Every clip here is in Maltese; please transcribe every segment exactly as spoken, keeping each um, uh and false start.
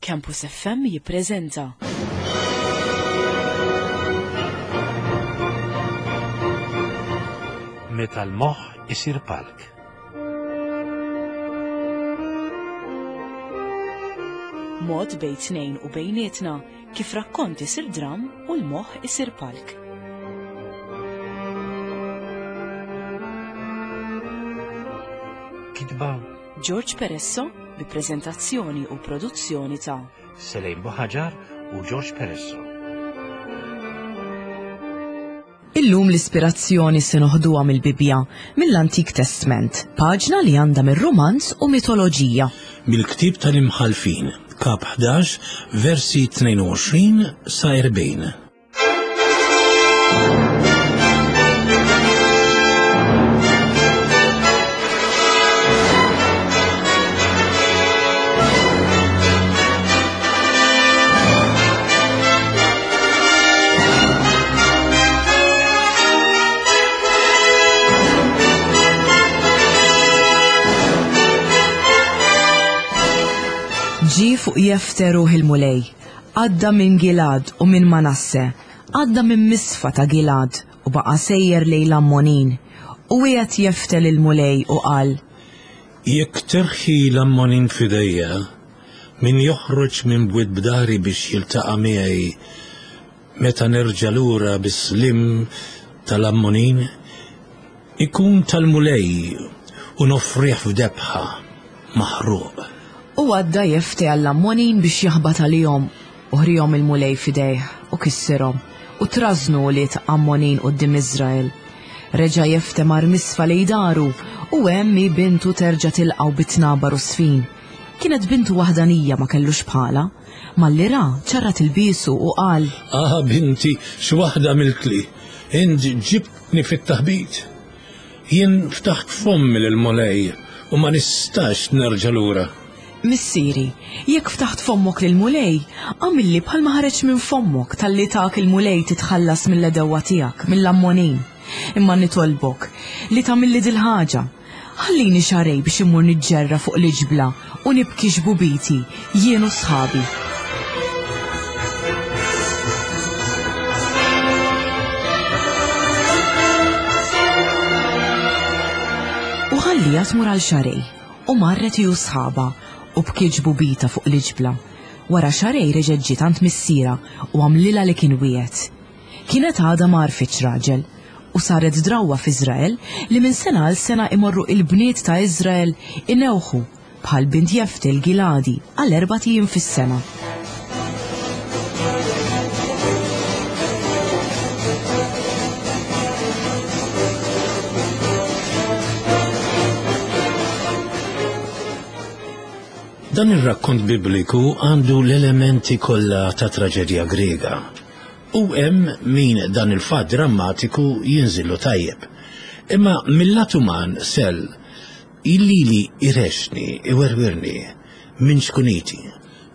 Campus F M jippreżenta Meta l-moħħ isir palk. Mod bejn tnejn u bejnietna kif rakkont isir dram u l-moħħ isir palk. Kitba George Peresso bi preżentazzjoni u produzzjoni ta' Selejn Buħaġar u George Peresso. Illum l-ispirazzjoni se noħduha mill-Bibbja, mill-Antik Testment, paġna li għandha mir-romanz u mitoloġija. Mill-ktib tal-Imħalfin, kap ħdax, versi tnejn u għoxrin sa erbgħin. Ġie fuq Jefte ruħ il-Mulej, għadda minn Gilad u minn Manasse, għadda minn Misfa ta' Gilad u baqa sejjer lejn l-Ammonin. U wiegħed Jefte lill-Mulej u qal: Jekk terħi l-Ammonin f'idejja, min joħroġ minn bwiet b'dahri biex jiltaqa' miegħi meta nerġa' lura bis-sliem tal-Ammonin, ikun tal-Mulej u noffrih f'debħa maħruq. U għadda Jefte għall-Ammonin biex jaħbat għalihom, u ħrihom il-Mulej f'idejh u kissirhom, u trażnu wlied Ammonin quddiem Iżrael. Reġa' Jefte mar Misfa lejn daru, u hemm hi bintu terġa' tilqgħu bit-tnabar u sfin. Kienet bintu waħdanija, ma kellux bħala. Malli ra, ċarrat ilbiesu u qal: Ah, binti, x'waħda għamiltli, int ġibtni fit-taħbit. Jien ftaħt fommi lill-Mulej u ma nistax nerġa' lura. Missieri, jekk ftaħt fommok lill-Mulej, għamilli bħalma ħareġ minn fommok, talli tak il-Mulej titħallas mill-għedewwa tiegħek, mill-Ammonin. Imma nitolbok li tagħmilli dil-ħaġa. Ħallini xahrejn biex immur niġġerra fuq l-iġbla u nibki xbubiti, jien u sħabi. U ħallieha tmur għal xahrejn, u marret hi u sħabha u bkiet xbubitha fuq l-iġbla. Wara xahrejn reġgħet ġiet għand missierha u għamlilha li kien wiegħed. Kienet għadha ma għarfitx raġel, u saret drawwa f'Iżrael li minn sena għal sena imorru il-bniet ta' Iżrael inewħu bħal bint Jefte l-Giladi għal erbat ijiem fis-sena. Dan ir-rakkont bibliku għandu l-elementi kollha ta' traġedja Grega. U hemm min dan il-fatt drammatiku jinżillu tajjeb. Imma mill-lat uman sel lili jrexxni, iwerwirni minn ċkuniti,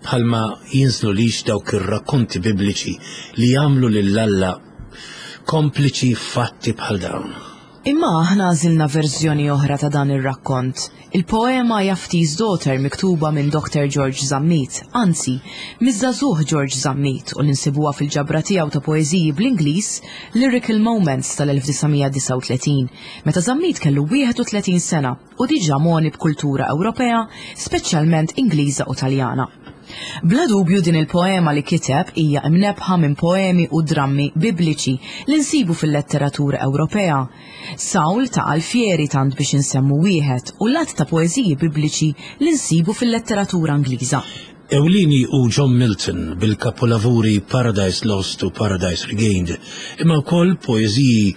bħalma jinżlu lix dawk ir-rakkonti bibliċi li jagħmlu lil Alla kompliċi fatti bħal dawn. Imma aħna għażilna verżjoni oħra ta' dan ir-rakkont. Il-poema Jafti's Daughter, miktuba minn Doctor George Zammit, anzi, miż-żagħżugħ George Zammit, u ninsibuha fil-ġabra tiegħu ta' poeżiji bl-Ingliż Lyrical Moments tal-elf disa' mija disgħa u tletin, meta Zammit kellu wieħed u tletin sena u diġà mogħni b'kultura Ewropea, speċjalment Ingliża u Taljana. Bla dubju din il-poema li kiteb hija imnebħa minn poemi u drammi bibliċi li nsibu fil-letteratura Ewropea. Saul ta' Alfieri, tant biex insemmu wieħed, u l-għadd ta' poeżiji bibliċi li nsibu fil-letteratura Ingliża. Ewlieni hu John Milton bil-kapolavuri Paradise Lost u Paradise Regained, imma wkoll poeżiji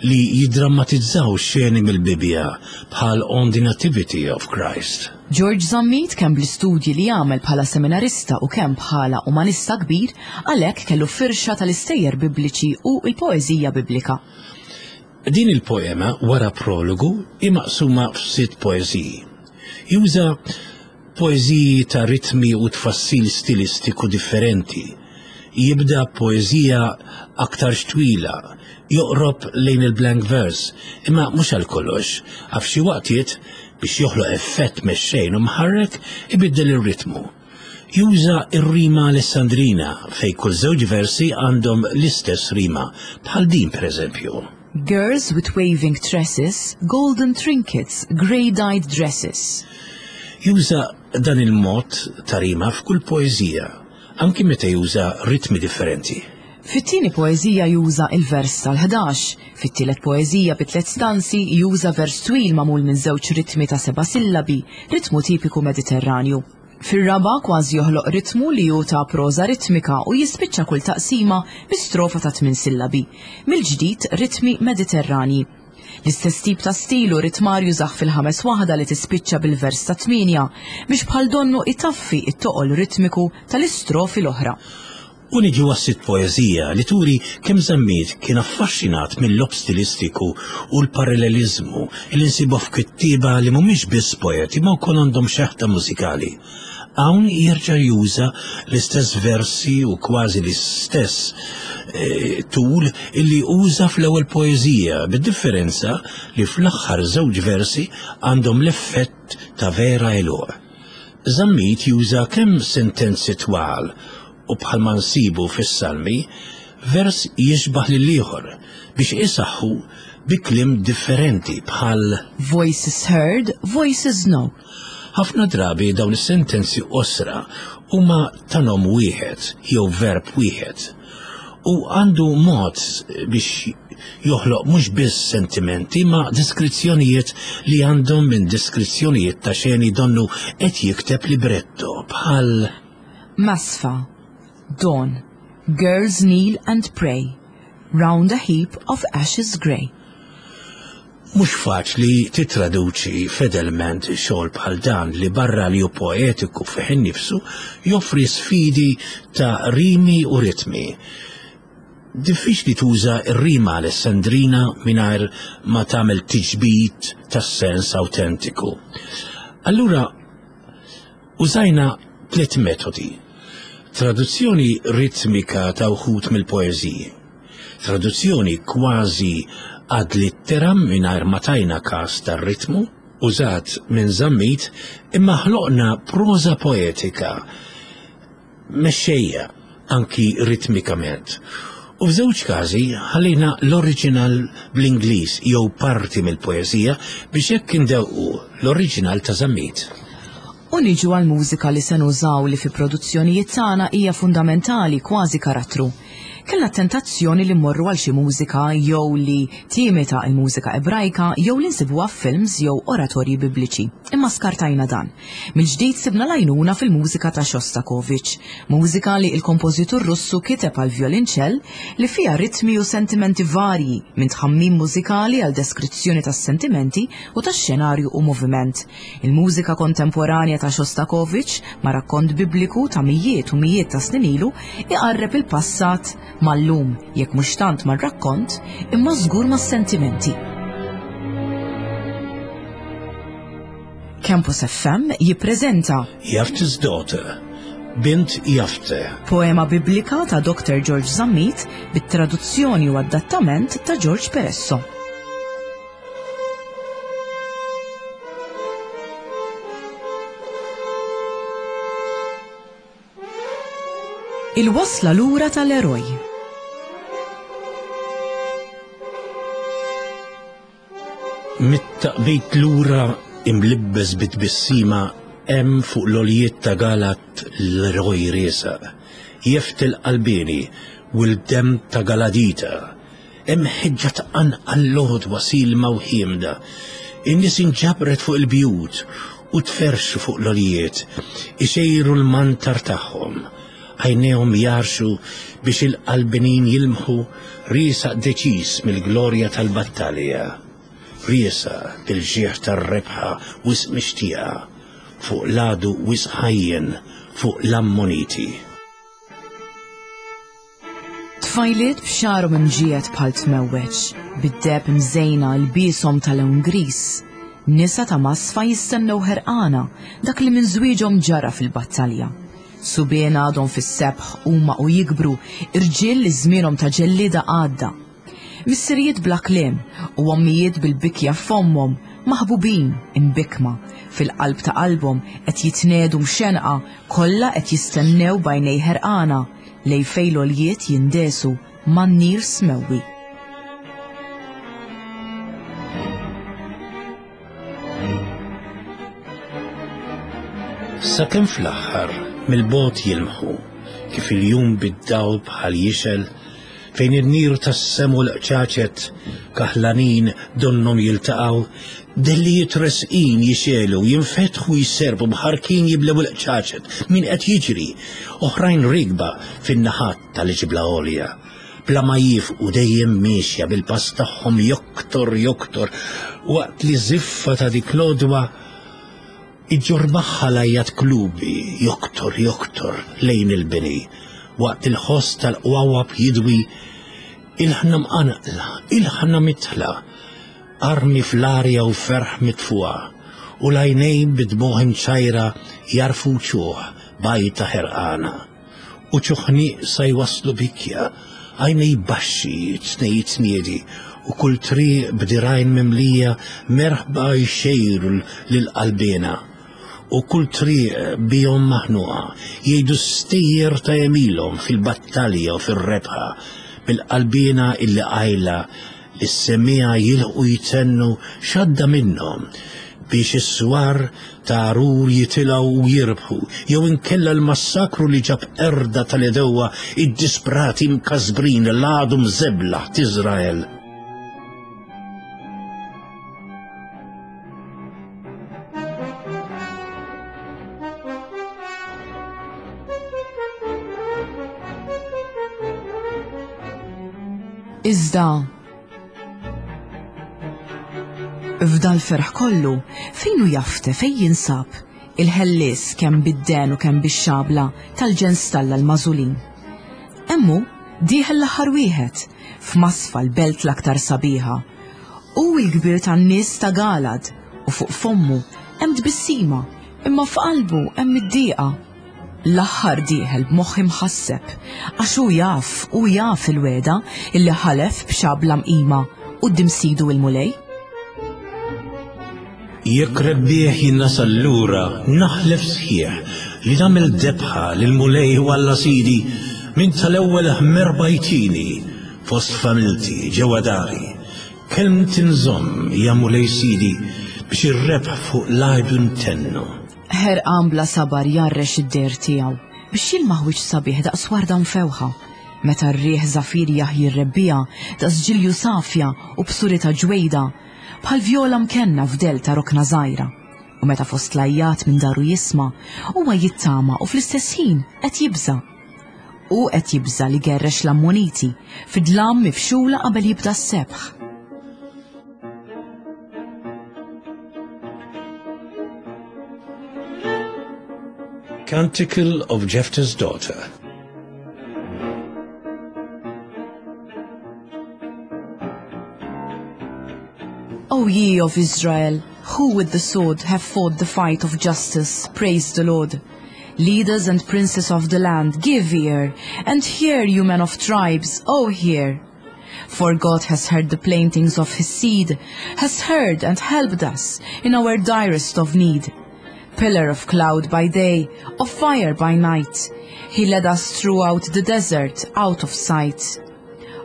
li jiddrammatizzaw xeni mill-Bibja bħal On the Nativity of Christ. George Zammit, kemm bl-istudji li għamel bħala seminarista u kemm bħala umanista kbir, għalhekk kellu firxa tal-istejjer bibliċi u l-poeżija biblika. Din il-poema, wara prologu, hi maqsuma f'sitt poeżiji. Juża poeżiji ta' ritmi u tfassil stilistiku differenti. Jibda poeżija aktar twila, joqrob lejn il-blank verse, imma mhux għal kollox, għax xi waqtiet biex joħloq effett mexxejn u mħarrek ibiddel ir-ritmu. Juża r-rima Alessandrina fejn kull żewġ versi għandhom l-istess rima, bħal din pereżempju. Girls with waving tresses, golden trinkets, grey-dyed dresses. Juża dan il-mod ta' rima f'kull poeżija, anki meta juża ritmi differenti. Fit-tieni poeżija juża il-vers tal-ħdax, fit-tielet poeżija bi tliet stanzi juża vers twil magħmul minn żewġ ritmi ta' seba' sillabi, ritmu tipiku Mediterranju. Fir-raba' kważi joħloq ritmu li hu ta' proża ritmika u jispiċċa kull taqsima bi strofa ta' tmien sillabi, mill-ġdid ritmi Mediterranji. L-istess tip ta' stil u ritmar jużah fil-ħames waħda li tispiċċa bil-vers ta' tmienja biex bħal donnu itaffi it-toqol ritmiku tal-istrofi l-oħra. U niġu għas-sitt poeżija li turi kemm Zammit kien affaxxinat mill-logħob stilistiku u l-paralleliżmu li nsibu f'kittieba li mhumiex biss poeti ma wkoll għandhom xeħta mużikali. Hawn jerġa' juża l-istess versi u kważi l-istess eh, tul illi uża fl-ewwel poeżija, bid-differenza li fl-aħħar żewġ versi għandhom l-effett ta' vera għeluq. Zammit juża kemm sentenzi twal u bħalma nsibu fis-salmi, vers jixbaħ lil ieħor biex isaħħu bi kliem differenti bħal Voices heard, voices know. Ħafna drabi dawn is-sentenzi qosra huma ta' nom wieħed jew verb wieħed u għandu mod biex joħloq mhux biss sentimenti ma deskrizzjonijiet li għandhom minn deskrizzjonijiet ta' xeni donnu qed jikteb libretto bħal Masfa, dawn, girls kneel and pray, round a heap of ashes grey. Mhux faċli titraduċi fedelment xogħol bħal dan li barra li hu poetiku fih innifsu joffri sfidi ta' rimi u ritmi. Diffiċli tuża r-rima Alessandrina mingħajr ma tagħmel tiġbid tas-sens awtentiku. Allura użajna tliet metodi. Traduzzjoni ritmika ta' wħud mill-poeżiji. Traduzzjoni kważi ad litteram mingħajr ma tajna każ tar-ritmu, użat minn Zammit, imma ħloqna proża poetika mexxejja anki ritmikament. U f'żewġ każi ħallejna l-oriġinal bl-Ingliż jew parti mill-poeżija biex hekk indewqu l-oriġinal ta' Zammit. U niġu għal-mużika li se nużaw li fi produzzjonijiet tagħna hija fundamentali kważi karattru. Kellna tentazzjoni li mmorru għal xi mużika jew li timita l-mużika ebrajka jew li nsibuha f'films jew oratorji bibliċi. Imma skartajna dan. Mill-ġdid sibna l-għajnuna fil-mużika ta' Shostakovich, mużika li il-kompożitur Russu kiteb għal violinċell li fiha ritmi u sentimenti varji minn tħammim mużikali għal deskrizzjoni tas-sentimenti u tax-xenarju u moviment. Il-mużika kontemporanja ta' Shostakovich ma' rakkont bibliku ta' mijiet u mijiet ta' snin ilu iqarreb il-passat mal-lum, jekk mhux tant mar-rakkont, imma żgur mas-sentimenti. Campus F M jippreżenta Jephthah's Daughter, Bint Jafte, poema biblika ta' Doktor George Zammit bit-traduzzjoni u adattament ta' George Peresso. Il-wasla lura tal-eroj. Mit-taqbit lura imlibbes bit-tbissima hemm fuq l-oljiet ta' Galat l-eroj riesaq, jeftil qalbini u l-dem ta' Galadita. Hemm ħeġġa tqanqal l-għodwa silma u ħiemda. In-nies inġabret fuq il-bjut u tferxu fuq l-oljiet, ixejru l-mantar tagħhom. Għajnejhom jarxu biex il-qalbinin jilmħu riesaq deċiż mill-glorja tal-battalja. Riesaq bil-ġieħ tar-rebħa wisq mixtieqa fuq l-għadu wisq ħajjen fuq l-Ammoniti. Tfajliet b'xagħarhom imġiegħed bħal tmewweġ, bid-deheb imżejna l-bishom tal-lewn gris. Nisa ta' Masfa jistennew ħerqana dak li minn żwieġhom ġara fil-battalja. Subien għadhom fis-sebħ huma u jikbru, irġiel li żmienhom ta' ġellieda għadda. Missirijiet bla kliem u ommijiet bil-bikja f'ommhom Maħbubin, imbikkma, fil-qalb ta' qalbhom qed jitnedu mxenqa, kollha qed jistennew b'għajnej ħerqana lejn fejn l-għoljiet jindesu man-nir smewwi. Sakemm fl-aħħar mill-bogħod jilmħu kif il-jum bid-dawl bħal jixel fejn in-nir tas-semu l-qċaċet kaħlanin donnhom jiltaqgħu, dellijiet resqin jixelu, jinfetħu jserbu mħarkin jiblew il-qċaċet min qed jiġri, oħrajn rigba fin-naħat tal-ġibla għolja. Bla ma jifqu dejjem miexja bil-pass tagħhom joktor joktor waqt li żiffa ta' dik l-għodwa iġġorr magħha l-għajat klubi joktor joktor lejn il-bini waqt il-ħoss tal-qwawab jidwi ilħna mqanqla, ilħna mitħla, armi fl-arja u ferħ mitfuqa u l-għajnejn bid-dmugħ imċajra jarfu ċuħ bajta ħerqana u ċuħni sa jwaslu bikja, għajnej baxxi tnej tniedi u kull triq b'dirajn mimlija merħba jxejru lil-qalbina u kull triq bihom maħnuqa jgħidu stejjer ta' għemilhom fil-battalja u fir-rebħa bil-qalbina illi qajla li s-semmiegħa jilħqu jtennu x'għadda minnhom biex is-swar ta' Għarur jitilgħu u jirbħu jew inkella l-massakru li ġab qerda tal-għedewwa id-disprati mkasbrin l-għadu mżeblaħ t'Iżrael. Iżda f'dal ferħ kollu, fejn hu Jafte, fejn jinsab il-ħellies kemm bid-den u kemm bix-xabla tal-ġens t'Alla l-magħżulin. Hemm hu dieħel l-aħħar wieħed f'masfa l-belt l-aktar sabiħa. Hu l-kbir tan-nies ta' Galad u fuq fommu hemm tbissima, imma f'qalbu hemm id-dieqa. L-aħħar dieħel b'moħħ imħasseb, għax hu jaf, hu jaf il-wegħda illi ħalef b'xabla mqima quddiem sidu il-Mulej. Jekk rebbieħ jien nasal lura, naħlef sħiħ li nagħmel debħa lill-Mulej u Alla sidi minn tal-ewwel merħba jtini fost familti ġewwa dari. Kelmti nżomm, ja Mulej sidi, biex ir-rebħ fuq l-għajbu ntennu. Ħerqan bla sabar jgħarrex id-der tiegħu biex jilmaħ wiċċ sabiħ daqs warda mfewħa. Meta r-riħ żafir jaħji r-rebbiegħa daqs ġilju safja u b'surita ġwejda, bħal vjola mkenna f'dell ta' rokna żgħira. U meta fost l-għajjat minn daru jisma', huwa jittama u fl-istess ħin qed jibża'. U qed jibża' li gerrex l-Ammoniti fid-dlam mifxula qabel jibda s-sebħ. Canticle of Jephthah's Daughter. O ye of Israel, who with the sword have fought the fight of justice, praise the Lord. Leaders and princes of the land, give ear, and hear, you men of tribes, O hear. For God has heard the plaintings of his seed, has heard and helped us in our direst of need. Pillar of cloud by day, of fire by night, he led us throughout the desert, out of sight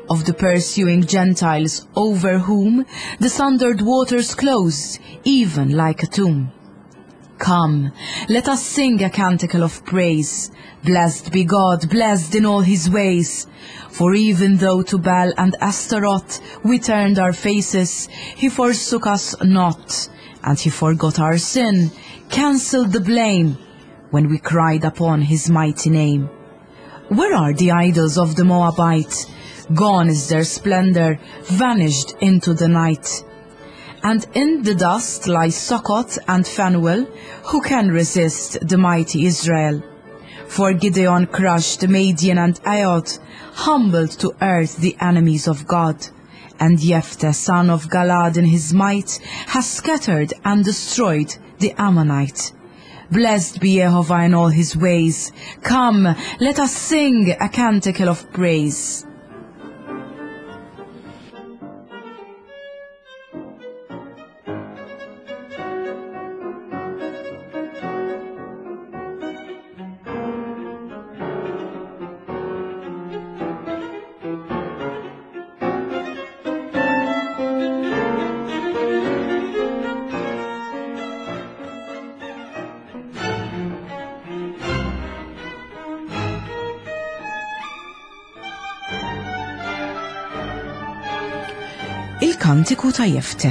of the pursuing Gentiles, over whom the sundered waters closed, even like a tomb. Come, let us sing a canticle of praise. Blessed be God, blessed in all his ways. For even though to Baal and Astaroth we turned our faces, he forsook us not, and he forgot our sin, cancelled the blame, when we cried upon his mighty name. Where are the idols of the Moabite? Gone is their splendor, vanished into the night. And in the dust lie Succoth and Phanuel, who can resist the mighty Israel? For Gideon crushed Midian and Aod, humbled to earth the enemies of God. And Jephthah, son of Galad, in his might, has scattered and destroyed the Ammonite. Blessed be Jehovah in all his ways. Come, let us sing a canticle of praise. Il-Kantiku ta' Jefte.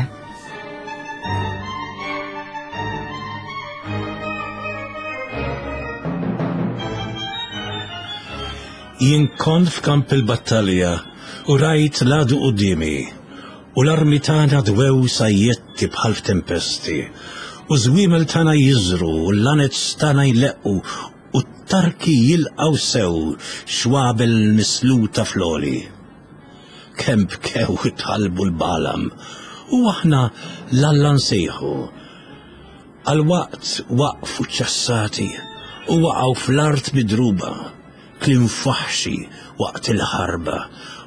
Jien kont f'kamp il-battalja u rajt l-għadu quddiemi, u l-armi tagħna dwew sajjetti bħal f'tempesti, u żwiemel tagħna jiżru, u l-lanez tagħna jleqqu, u t-tarki jilqgħu sew xwabel misluta fl-għoli. Kemm bkew talbu l-Balam, u aħna 'l Alla nsejħu. Għal waqt waqfu ċassati u waqgħu fl-art midruba, kliem faħxi waqt il-ħarba,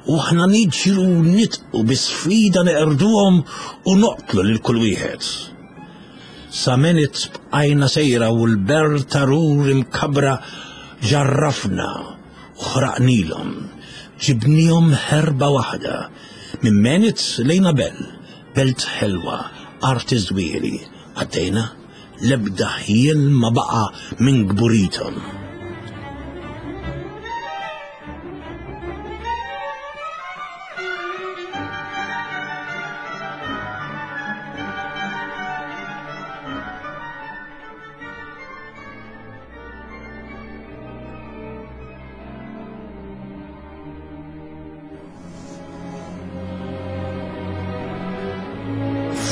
u aħna niġru nitqu bi sfida neqirduhom u noqtlu lil kull wieħed. Sa Menit bqajna sejra u l-ber tarur imkabra ġarrafna u ħraqnilhom, ġibnihom ħerba waħda, minn Menit lejn Abel, belt ħelwa, art iż-żwieli, għaddejna l-ebda ħjiel ma baqa' minn kburithom.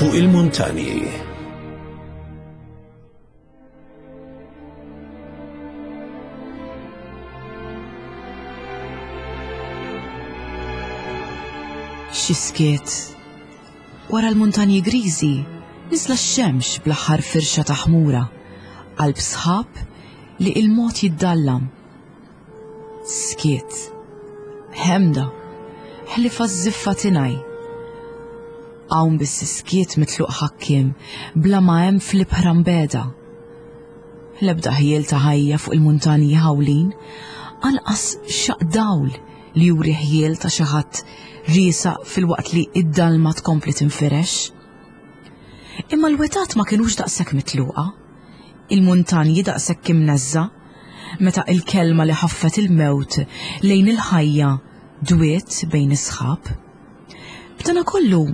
Fuq il-muntanji. Xi skiet. Wara l-muntanji griżi niżla x-xemx bl-aħħar firxa ta' ħmura, qalb sħab li il-mod jiddallam. Skiet. Ħemda. Ħlifa ż-żiffa tinaj. Hawn biss skiet mitluq ħakkiem bla ma hemm fl-ibħra mbeda. L-ebda ħjiel ta' ħajja fuq il-muntanji ħawlin, anqas xaq dawl li juri ħjiel ta' xi ħadd riesaq filwaqt li id-dalma tkompli tinfirex. Imma l-wetat ma kinux daqshekk mitluqa, il-muntanji daqshekk imneżża, meta il-kelma li ħaffet il-mewt lejn il-ħajja dwiet bejn is-sħab. B'dana kollu,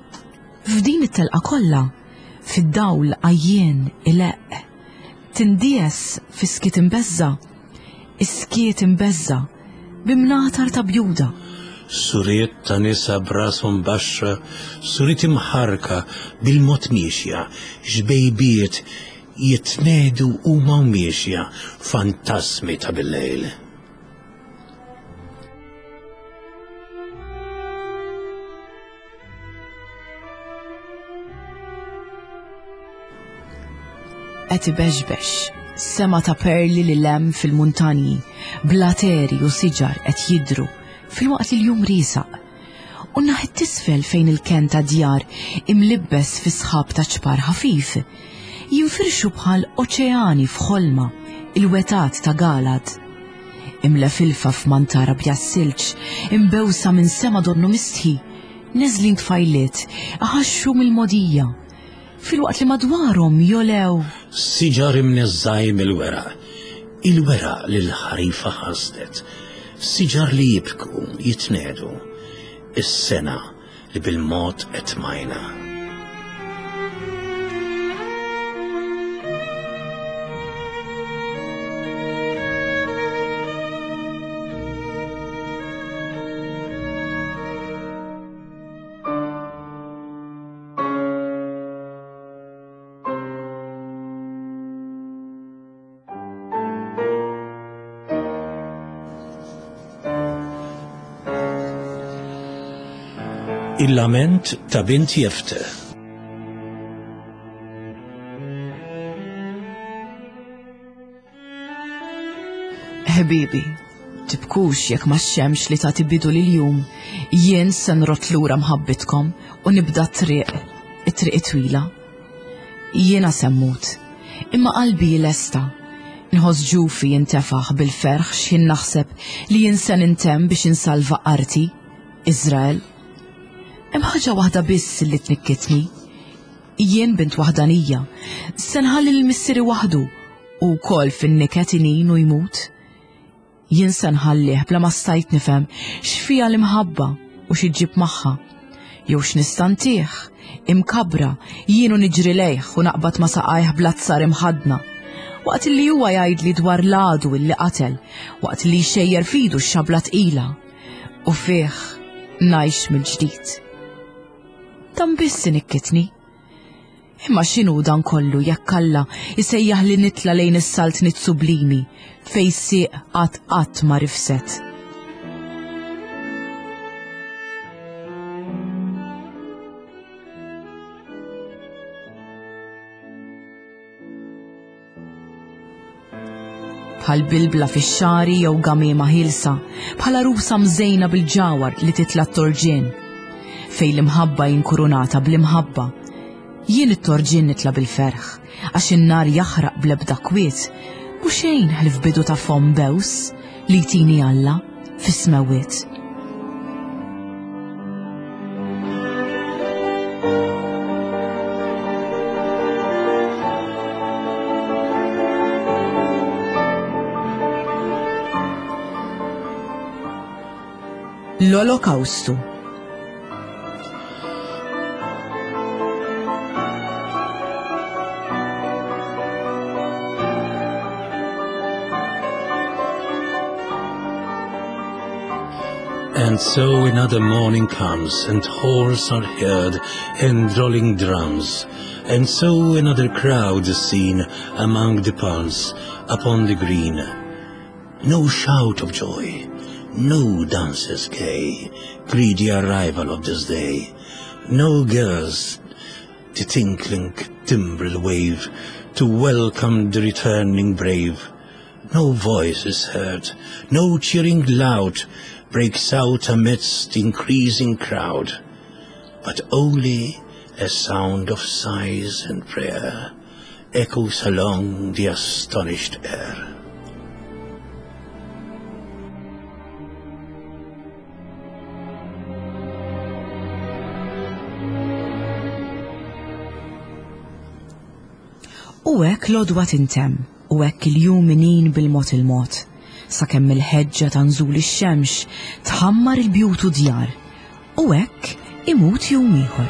f'din it-telqa kollha, fid-dawl għajjien ileqq, tindies fi skiet imbeżża, is-skiet imbeżża b'imnatar ta' bjuda. Suriet ta' nisa b'rashom baxxa, suriet imħarka bil-mod miexja, xbejbiet jitnedu huma u miexja, fantasmi ta' bil-lejl. Qed ibeġbex, sema ta' perli li lem fil-muntanji, blateri u siġar qed jidru filwaqt li l-jum riesaq. U naħet tisfel fejn il-ken ta' djar imlibbes fi sħab ta' ċpar ħafif, jinfirxu bħal oċeani f'ħolma il-wetat ta' Galad. Imla filfa f'mantara bja silġ, imbewsa minn sema donnu mistħi, neżlin tfajliet, aħaxxu mill-modija, filwaqt li madwarhom jolew. Siġar imneżżaj mill-weraq, il-weraq li l-ħarifa ħasdet, siġar li jibku, jitnedu, is-sena li bil-mod qed majna. Il-lament ta' bint Jefte. Ħbibi, tibkux jekk ma xemx li tagħti bidu lil-jum, jien se nrott lura mħabbitkom u nibda t-triq, it-triq twila. Jiena se mmut, imma qalbi lesta. Nħoss ġufi jintefaħ bil-ferħ x'ħin naħseb li jien se nintemm biex insalva arti, Iżrael. Hemm ħaġa waħda biss li tnikkitni. Jien bint waħdanija, se nħalli lil missieri waħdu u wkoll fin-niket inin u jmut. Jien se nħallih bla ma stajt nifhem x'fiha l-imħabba u xi ġġib magħha, Jew x'nista' ntih, imkabbra, jien u niġri lejh u naqbad ma' saqajh bl-azzar imħaddna. Waqt li huwa jgħidli dwar l-għadu illi qatel, waqt li jxejjer f'idu x-xabla tqila. U fih ngħix mill-ġdid. Dan biss inikkitni. Imma x'inhu dan kollu jekk Alla jsejjaħ li nitla' lejn is-saltniet sublimi fejn sieq qatt qatt ma rifset. Bħal bilbla fix-xagħri jew gamiema ħielsa, bħal għarusa mżejna bil-ġawhar li titla' t-torġien. Fejn l-imħabba inkurunata bl-imħabba. Jien it-torġien nitla' bil-ferħ, għax in-nar jaħraq bl-ebda kwiet, u xejn ħlief bidu ta' fomm bews li jtini Alla fis-smewwiet. L-Olokawstu. And so another morning comes, and horns are heard, and rolling drums. And so another crowd is seen among the palms upon the green. No shout of joy, no dances gay, greet the arrival of this day. No girls the tinkling timbrel wave to welcome the returning brave. No voice is heard, no cheering loud breaks out amidst the increasing crowd, but only a sound of sighs and prayer echoes along the astonished air. U hekk l-għodwa tintemm, u hekk il-jum inin bil-mod il-mod, sakemm il-ħeġġa ta' nżul ix-xemx tħammar il-bjut u djar, u hekk imut jum ieħor.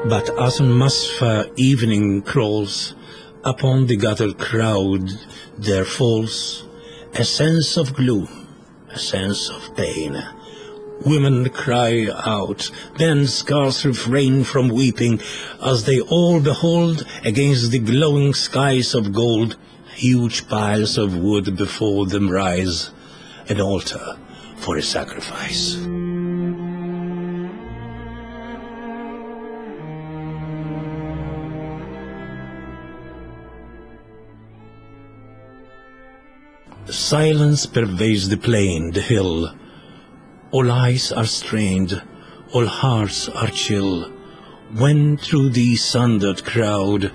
But as Masfa evening crawls upon the gathered crowd, there falls a sense of gloom, a sense of pain. Women cry out, then scarce refrain from weeping, as they all behold against the glowing skies of gold, huge piles of wood before them rise, an altar for a sacrifice. Silence pervades the plain, the hill. All eyes are strained, all hearts are chill, when through the sundered crowd,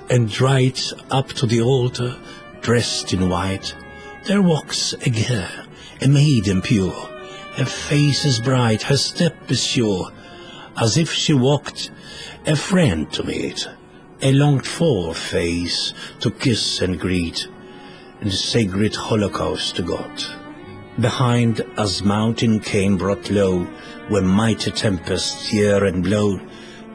and right up to the altar, dressed in white, there walks a girl, a maiden pure. Her face is bright, her step is sure, as if she walked a friend to meet, a longed-for face to kiss and greet, in the sacred holocaust to God. Behind, as mountain came brought low, where mighty tempests tear and blow,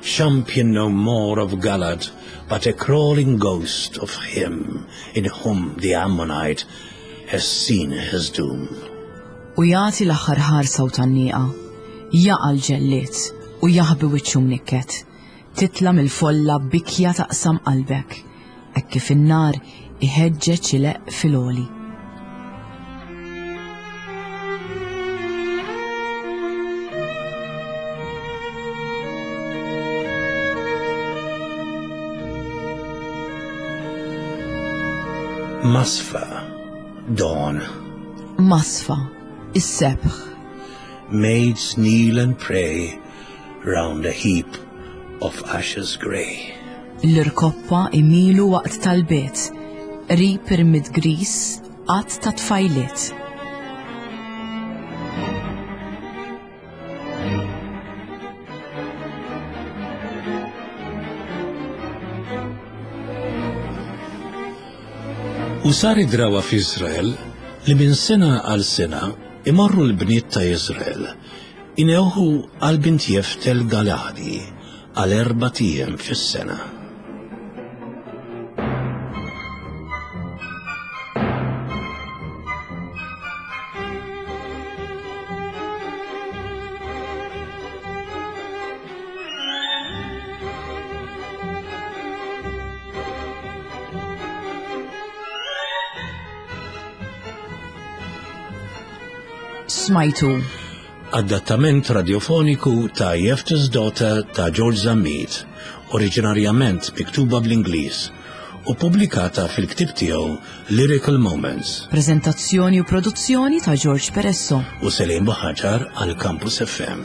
champion no more of Galad, but a crawling ghost of him in whom the Ammonite has seen his doom. U jagħti l-aħħar ħarsa u tgħanniqa, jaqa' l-ġellied u jaħbi wiċċu mnikket, titla' mill-folla bikja taqsam qalbek, hekk kif in-nar iħeġġeġ ileqq fil-għoli. Masfa, dawn. Masfa, is-sebħ. Maids kneel and pray round a heap of ashes grey. L-irkoppa imilu waqt tal-bit, qrib irmid gris, qatt ta' tfajliet. U sar id-drawa f'Iżrael li minn sena għal sena imorru l-bniet ta' Iżrael inewħu għal bint Jefte l-Galadi għal erbat ijiem fis-sena. Smajtu. Adattament radiofoniku ta' Jefte's Daughter ta' George Zammit, oriġinarjament miktuba bl-Ingliż u pubblikata fil-ktieb tiegħu Lyrical Moments. Prezentazzjoni u produzzjoni ta' George Peresso. U Selim Buħaġar għal Campus F M.